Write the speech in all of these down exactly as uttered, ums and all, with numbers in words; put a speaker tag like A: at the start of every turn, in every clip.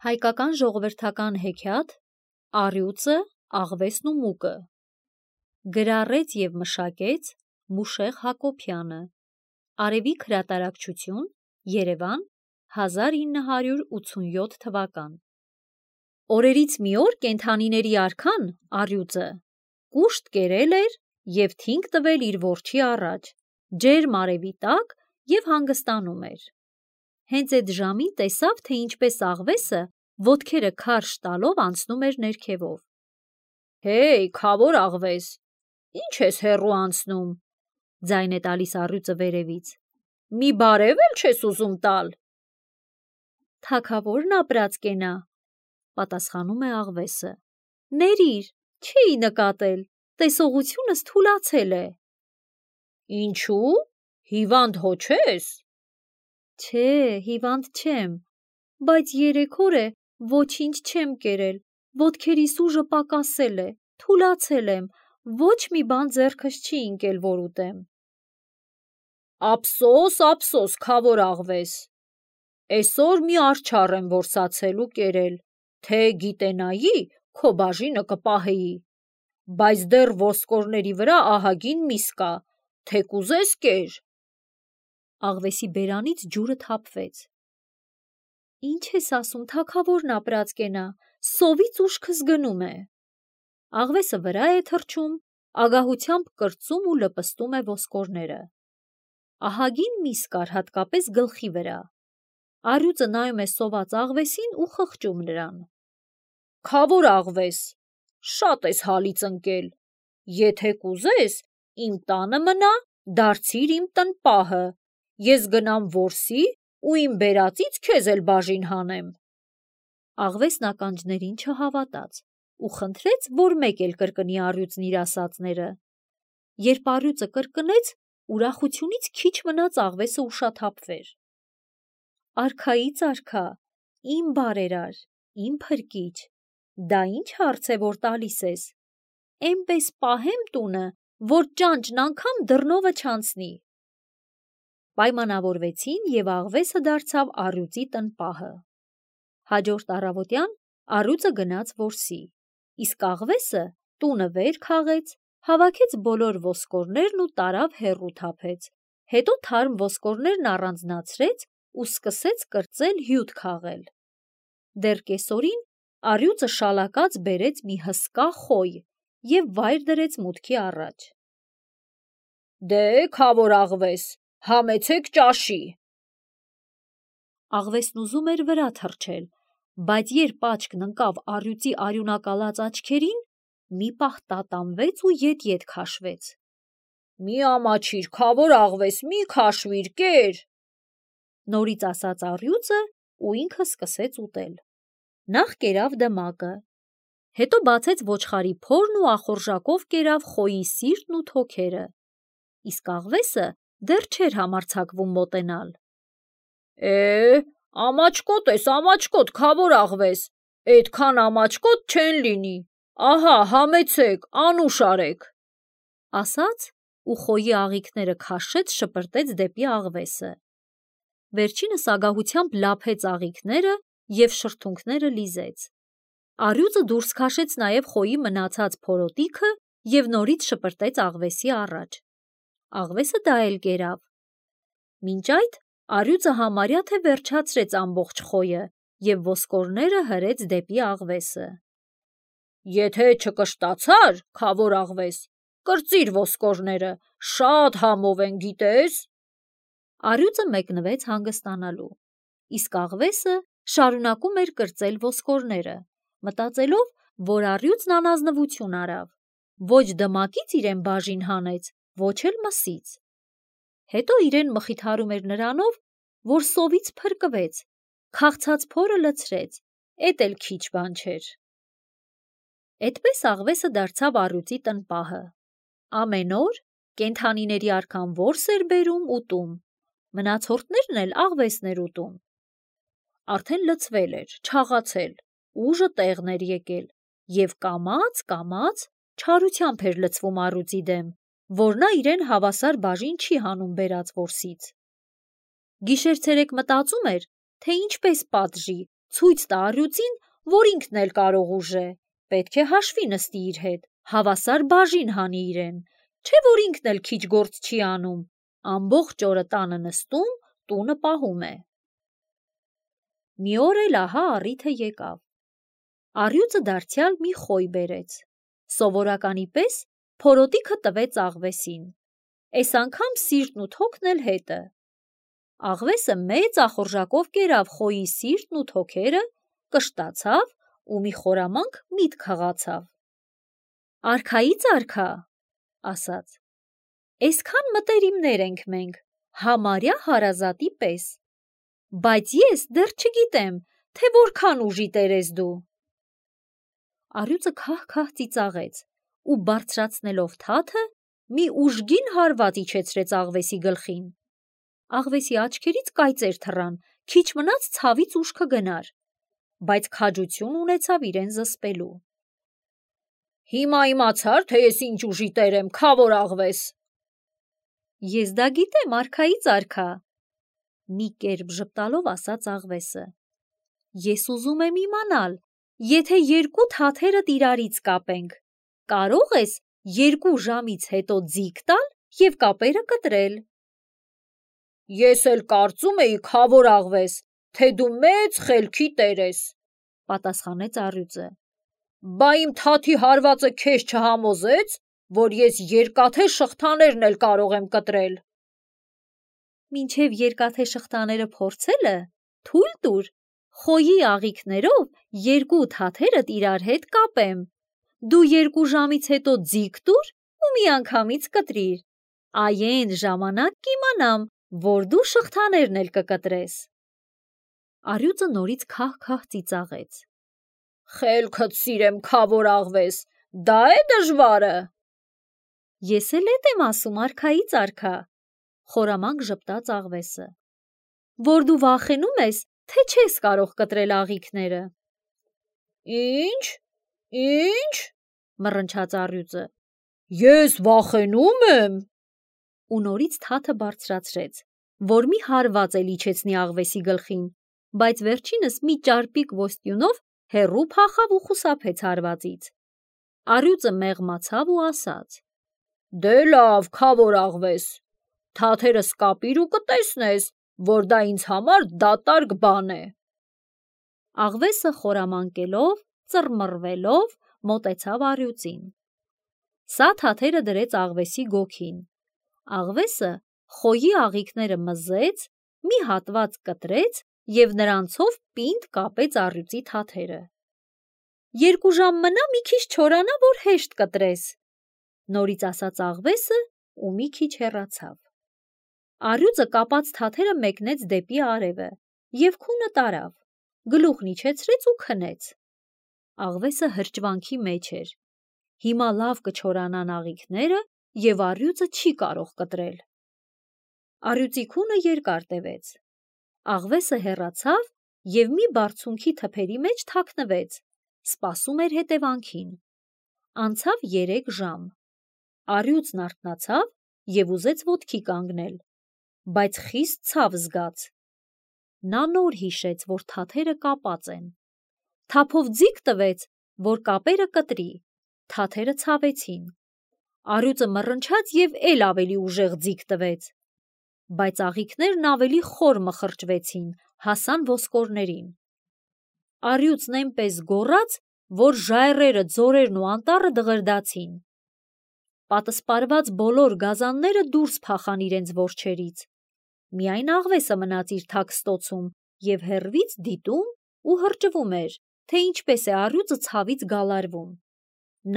A: Հայկական ժողովրդական հեքիաթ Առյուծը, աղվեսն ու մուկը գրառեց և մշակեց Մուշեղ Հակոբյանը Արևիկ հրատարակչություն Երևան հազար ինը հարյուր ութսունյոթ թվական Օրերից մի օր կենդանիների արքան առյուծը կուշտ կերել էր և թինք տվել իր որջի առաջ ջերմ արևի տակ և հանգստանում էր Հենց էդ ժամին տեսավ, թե ինչպես աղվեսը ոտքերը քարշ տալով անցնում էր ներքևով: Հեյ, քավոր աղվես, ի՞նչ ես հեռու անցնում, ձայն է տալիս առյուծը վերևից, մի բարև էլ չես ուզում տալ: Թագավորն ապրած կենա, պատասխանում է աղվեսը, ներիր, չէի նկատել, տեսողությունս թուլացել է: Ինչու՞, հիվանդ հո չես: Չէ, հիվանդ չեմ, բայց երեք օր է ոչինչ չեմ կերել, ոտքերիս ուժը պակասել է, թուլացել եմ, ոչ մի բան ձեռքս չի ընկել, որ ուտեմ: Ափսոս, ափսոս, քավոր աղվես, էսօր մի արջառ եմ որսացել ու կերել, թե գիտենայի, քո բաժինը կպահեի, բայց դեռ ոսկորների վրա ահագին միս կա, թե կուզես կեր: Աղվեսի բերանից ջուրը թափվեց: Ինչ ես ասում, թագավորն ապրած կենա, սովից ուշքս գնում է: Աղվեսը վրա է թռչում, ագահությամբ կրծում ու լպստում է ոսկորները: Ահագին միս կար հատկապես գլխի վրա: Առյուծը նայում է սոված աղվեսին ու խղճում նրան: Քավոր աղվես, շատ ես հալից ընկել, եթե կուզես, իմ տանը մնա, դարձիր իմ տնպահը, ես գնամ որսի ու իմ բերածից քեզ էլ բաժին հանեմ: Աղվեսն ականջներին չհավատաց ու խնդրեց, որ մեկ էլ կրկնի առյուծն իր ասածները: Երբ առյուծը կրկնեց, ուրախությունից քիչ մնաց աղվեսը ուշաթափվեր: Արքայից արքա, իմ բարերար, իմ փրկիչ, դա ի՞նչ հարց է, որ տալիս ես: Էնպես պահեմ տունը, որ ճանճն անգամ դռնովը չանցնի: Պայմանավորվեցին և աղվեսը դարձավ առյուծի տնպահը: Հաջորդ առավոտյան առյուծը գնաց որսի, իսկ աղվեսը տունը վեր քաղեց, հավաքեց բոլոր ոսկորներն ու տարավ հեռու թափեց, հետո թարմ ոսկորներն առանձնացրեց ու սկսեց կրծել հյութ քաղել: Դեռ կեսօրին առյուծը շալակած բերեց մի հսկա խոյ և վայր դրեց մուտքի առաջ: Դե, քավոր աղվես, համեցեք ճաշի: Աղվեսն ուզում էր վրա թռչել, բայց երբ աչքն ընկավ առյուծի արյունակալած աչքերին, մի պահ տատանվեց ու ետ-ետ քաշվեց: Մի ամաչիր, քավոր աղվես, մի քաշվիր, կեր: Նորից ասաց առյուծը ու ինքը սկսեց ուտել: Նախ կերավ դմակը, հետո բացեց ոչխարի փորն ու ախորժակով կերավ խոյի սիրտն ու թոքերը, իսկ աղվեսը դեռ չէր համարձակվում մոտենալ: Է, ամաչկոտ ես, ամաչկոտ, քավոր աղվես, էդքան ամաչկոտ չեն լինի, ահա համեցեք, անուշ արեք: Ասաց ու խոյի աղիքները քաշեց շպրտեց դեպի աղվեսը: Վերջինս ագահությամբ լափեց աղիքները և շրթունքները լիզեց: Առյուծը դուրս քաշեց նաև խոյի մնացած փորոտիքը և նորից շպրտեց աղվեսի առաջ: Աղվեսը դա էլ կերավ: Մինչ այդ առյուծը համարյա թե վերջացրեց ամբողջ խոյը և ոսկորները հրեց դեպի աղվեսը: Եթե չկշտացար, քավոր աղվես, կրծիր ոսկորները, շատ համով են, գիտես: Առյուծը մեկնվեց հանգստանալու, իսկ աղվեսը շարունակում էր կրծել ոսկորները, մտածելով, որ առյուծն անազնվություն արավ, ոչ դմակից իրեն բաժին հանեց, ոչ էլ մսից: Հետո իրեն մխիթարում էր նրանով, որ սովից փրկվեց, քաղցած փորը լցրեց, էդ էլ քիչ բան չէր: Էդպես աղվեսը դարձավ առյուծի տնպահը: Ամեն օր կենդանիների արքան որս էր բերում ուտում, մնացորդներն էլ աղվեսն էր ուտում: Արդեն լցվել էր, չաղացել, ուժը տեղն էր եկել և կամաց-կամաց չարությամբ էր լցվում առյուծի դեմ, որ նա իրեն հավասար բաժին չի հանում բերած որսից: Գիշեր-ցերեկ մտածում էր, թե ինչպես պատժի ցույց տա առյուծին, որ ինքն էլ կարող ուժե, պետք է հաշվի նստի իր հետ, հավասար բաժին հանի իրեն, չէ որ ինքն էլ քիչ գործ չի անում, ամբողջ օրը տանը նստում, տունը պահում է։ Մի օր էլ ահա առիթը եկավ։ Առյուծը դարձյալ մի խոյ բերեց, սովորականի պես փորոտիքը տվեց աղվեսին, էս անգամ սիրտն ու թոքն էլ հետը։ Աղվեսը մեծ ախորժակով կերավ խոյի սիրտն ու թոքերը, կշտացավ ու մի խորամանկ միտք հղացավ։ Արքայից արքա, ասաց, այսքան մտերիմներ ենք մենք, համարյա հարազատի պես, բայց ես դեռ չգիտեմ, թե որքան ուժի տեր ես դու։ Առյուծը քահ-քահ ծիծաղեց ու բարձրացնելով թաթը, մի ուժգին հարված իջեցրեց աղվեսի գլխին։ Աղվեսի աչքերից կայծեր թռան, քիչ մնաց ցավից ուշքը գնար, բայց քաջություն ունեցավ իրեն զսպելու։ Հիմա իմացար, թե ես ինչ ուժի տեր եմ, քավոր աղվես։ Ես դա գիտեմ, արքայից արքա, մի կերպ ժպտալով ասաց աղվեսը։ Ես ուզում եմ իմանալ, եթե երկու թաթերդ իրարից կապենք, կարող ես երկու ժամից հետո ձիգ տալ և կապերը կտրել։ Ես էլ կարծում էի, քավոր աղվես, թե դու մեծ խելքի տեր ես, պատասխանեց առյուծը, բա իմ թաթի հարվածը քեզ չհամոզեց, որ ես երկաթե շղթաներն էլ կարող եմ կտրել։ Մինչև երկաթե շղթաները փորձելը, թույլ տուր, խոյի աղիքներով երկու թաթերդ իրար հետ կապեմ, դու երկու ժամից հետո ձիգ տուր ու միանգամից կտրիր, այն ժամանակ կիմանամ, որ դու շղթաներն էլ կկտրես։ Առյուծը նորից քահ-քահ ծիծաղեց։ Խելքդ սիրեմ, քավոր աղվես, դա է դժվարը։ Ես էլ էդ եմ ասում, արքայից արքա, խորամանկ ժպտաց աղվեսը, որ դու վախենում ես, թե չես կարող կտրել աղիքները։ Ինչ, ինչ, մռնչաց առյուծը, ես վախենում եմ։ Ու նորից թաթը բարձրացրեց, որ մի հարված էլ իջեցնի աղվեսի գլխին, բայց վերջինս մի ճարպիկ ոսტյունով հեռու փախավ ու խուսափեց հարվածից։ Առյուծը մեղմացավ ու ասաց. Դե լավ, քավոր աղվես, թաթերս կապիր ու կտեսնես, որ դա ինձ համար դատարկ բան է։ Աղվեսը խորամանկելով, ծռմռվելով մոտեցավ առյուծին։ Սա թաթերը դրեց աղվեսի գոգին։ Աղվեսը խոյի աղիքները մզեց, մի հատված կտրեց և նրանցով պինդ կապեց առյուծի թաթերը։ Երկու ժամ մնա մի քիչ չորանա, որ հեշտ կտրես, նորից ասաց աղվեսը ու մի քիչ հեռացավ։ Առյուծը կապած թաթերը մեկնեց դեպի արևը և քունը տարավ, գլուխն իջեցրեց ու քնեց։ Աղվեսը հրճվանքի մեջ էր։ Հիմա լավ կչորանան աղիքները և առյուծը չի կարող կտրել։ Առյուծի քունը երկար տևեց։ Աղվեսը հեռացավ և մի բարձունքի թփերի մեջ թաքնվեց, սպասում էր հետևանքին։ Անցավ երեք ժամ։ Առյուծն արթնացավ և ուզեց ոտքի կանգնել, բայց խիստ ցավ զգաց։ Նա նոր հիշեց, որ թաթերը կապած են։ Թափով ձիգ տվեց, որ կապերը կտրի, թաթերը ցավեցին։ Առյուծը մռնչաց և էլ ավելի ուժեղ ձիգ տվեց, բայց աղիքներն ավելի խոր մխրճվեցին, հասան ոսկորներին։ Առյուծն այնպես գոռաց, որ ժայռերը, ձորերն ու անտառը դղրդացին։ Պատսպարված բոլոր գազանները դուրս փախան իրենց որջերից։ Միայն աղվեսը մնաց իր թաքստոցում և հեռվից դիտում ու հրճվում էր, թե ինչպես է առյուծը ցավից գալարվում։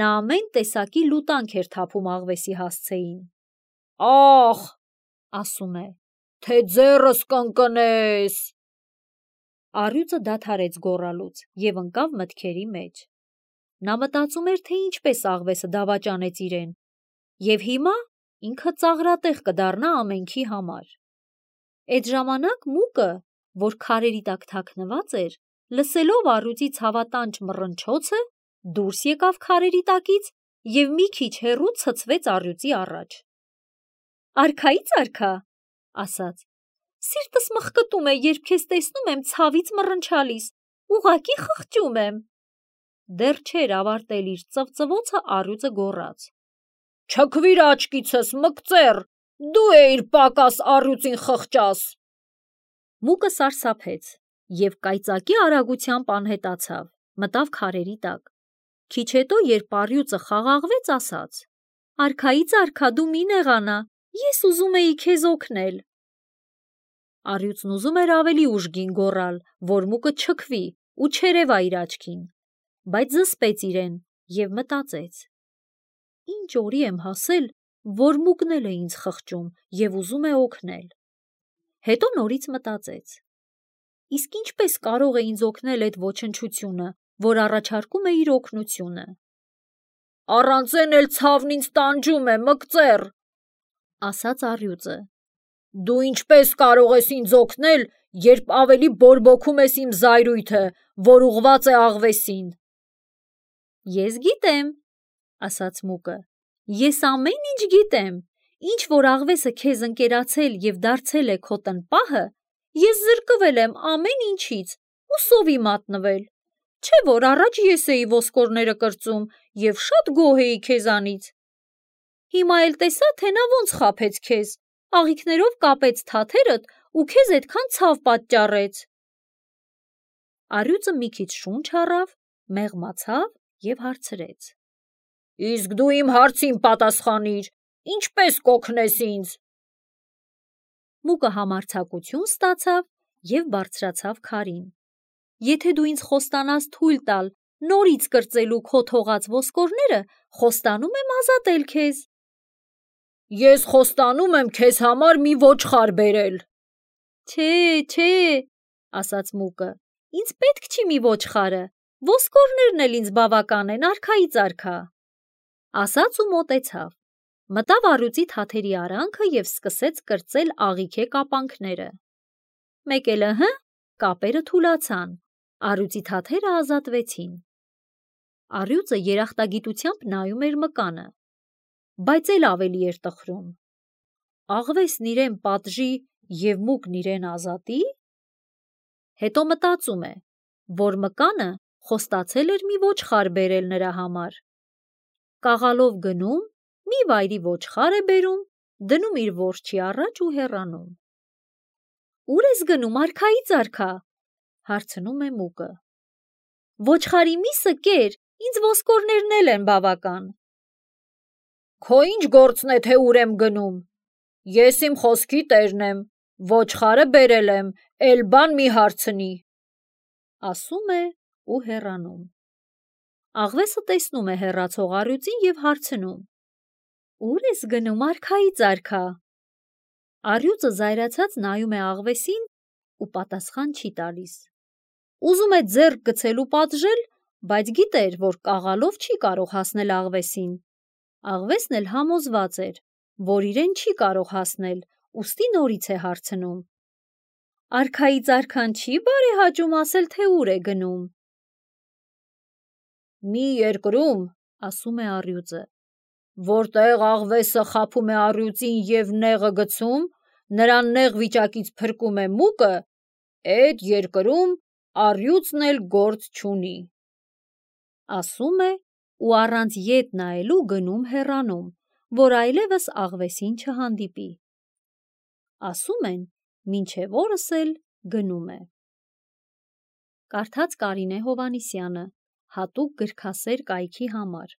A: Նա ամեն տեսակի լուտանք էր թափում աղվեսի հասցեին։ Ախ, ասում է, թե ձեռս կընկնես։ Առյուծը դադարեց գոռալուց և ընկավ մտքերի մեջ։ Նա մտածում էր, թե ինչպես աղվեսը դավաճանեց իրեն, և հիմա ինքը ծաղրատեղ կդառնա ամենքի համար։ Էդ ժամանակ մուկը, որ քարերի տակ թաքնված էր, լսելով առյուծի ցավատանչ մռնչոցը, դուրս եկավ քարերի տակից և մի քիչ հեռու ցցվեց առյուծի առաջ։ Արքայից արքա, ասաց, սիրտս մխկտում է, երբ քեզ տեսնում եմ ցավից մռնչալիս, ուղղակի խղճում եմ։ Դեռ չէր ավարտել իր ծվծվոցը, առյուծը գոռաց. Չքվիր աչքիցս, մկծեր, դու էիր պակաս առյուծին խղճաս։ Մուկը սարսափեց և կայծակի արագությամբ անհետացավ, մտավ քարերի տակ։ Քիչ հետո, երբ առյուծը խաղաղվեց, ասաց. Արքայից արքա, դու մի նեղանա, ես ուզում էի քեզ օգնել։ Առյուծն ուզում էր ավելի ուժգին գոռալ, որ մուկը չքվի ու չերևա իր աչքին, բայց զսպեց իրեն և մտածեց. Ինչ օրի եմ հասել, որ մուկն էլ է ինձ խղճում և ուզում է օգնել։ Հետո նորից մտածեց. իսկ ինչպես կարող է ինձ օգնել այդ ոչնչությունը, որ առաջարկում է իր օգնությունը։ Առանց էն էլ ցավն ինձ տանջում է, մկծեր, ասաց առյուծը։ Դու ինչպես կարող ես ինձ օգնել, երբ ավելի բորբոքում ես իմ զայրույթը, որ ուղղված է աղվեսին։ Ես գիտեմ, ասաց մուկը, ես ամեն ինչ գիտեմ, ինչ որ աղվեսը քեզ ընկերացել և դարձել է քո տնպահը, ես զրկվել եմ ամեն ինչից ու սովի մատնվել, չէ որ առաջ ես էի ոսկորները կրծում և շատ գոհ էի քեզանից։ Հիմա էլ տեսա, թե նա ոնց խաբեց քեզ, աղիքներով կապեց թաթերդ ու քեզ էդքան ցավ պատճառեց։ Առյուծը մի քիչ շունչ առավ, մեղմացավ և հարցրեց. Իսկ դու իմ հարցին պատասխանիր, ինչպես կօգնես ինձ։ Մուկը համարձակություն ստացավ և բարձրացավ քարին։ Եթե դու ինձ խոստանաս թույլ տալ նորից կրծելու քո թողած ոսկորները, խոստանում եմ ազատել քեզ։ Ես խոստանում եմ քեզ համար մի ոչխար բերել։ Չէ, չէ, ասաց մուկը, ինձ պետք չի մի ոչխարը, ոսկորներն էլ ինձ բավական են, արքայից արքա։ Ասաց ու մոտեցավ, մտավ առյուծի թաթերի արանքը և սկսեց կրծել աղիքե կապանքները։ Մեկ էլ ըհը, կապերը թուլացան, առյուծի թաթերը ազատվեցին։ Առյուծը երախտագիտությամբ նայում էր մկանը, բայց էլ ավելի էր տխրում։ Աղվեսն իրեն պատժի և մուկն իրեն ազատի։ Հետո մտածում է, որ մկանը խոստացել էր մի ոչխար բերել նրա համար։ Կաղալով գնում, մի վայրի ոչխար է բերում, դնում իր որջի առաջ ու հեռանում։ Ո՞ւր ես գնում, արքայից արքա, հարցնում է մուկը։ Ոչխարի միսը կեր, ինձ ոսկորներն էլ են բավական։ Քո ինչ գործն է, թե ուր եմ գնում։ Ես իմ խոսքի տերն եմ, ոչխարը բերել եմ, էլ բան մի հարցնի, ասում է ու հեռանում։ Աղվեսը տեսնում է հեռացող առյուծին և հարցնում. Ո՞ւր ես գնում, արքայից արքա։ Առյուծը զայրացած նայում է աղվեսին ու պատասխան չի տալիս։ Ուզում է ձեռք գցել ու պատժել, բայց գիտեր, որ կաղալով չի կարող հասնել աղվեսին։ Աղվեսն էլ համոզված էր, որ իրեն չի կարող հասնել, ուստի նորից է հարցնում. Արքայից արքան չի բարեհաճում ասել, թե ուր է գնում։ Մի երկրում, ասում է առյուծը, որտեղ աղվեսը խաբում է առյուծին և նեղը գցում, նրան նեղ վիճակից փրկում է մուկը, էդ երկրում առյուծն էլ գործ չունի։ Ասում է ու առանց ետ նայելու գնում հեռանում, որ այլևս աղվեսին չհանդիպի։ Ասում են, մինչև օրս էլ գնում է։ Կարդաց Կարինե Հովհաննիսյանը, հատուկ գրքասեր կայքի համար։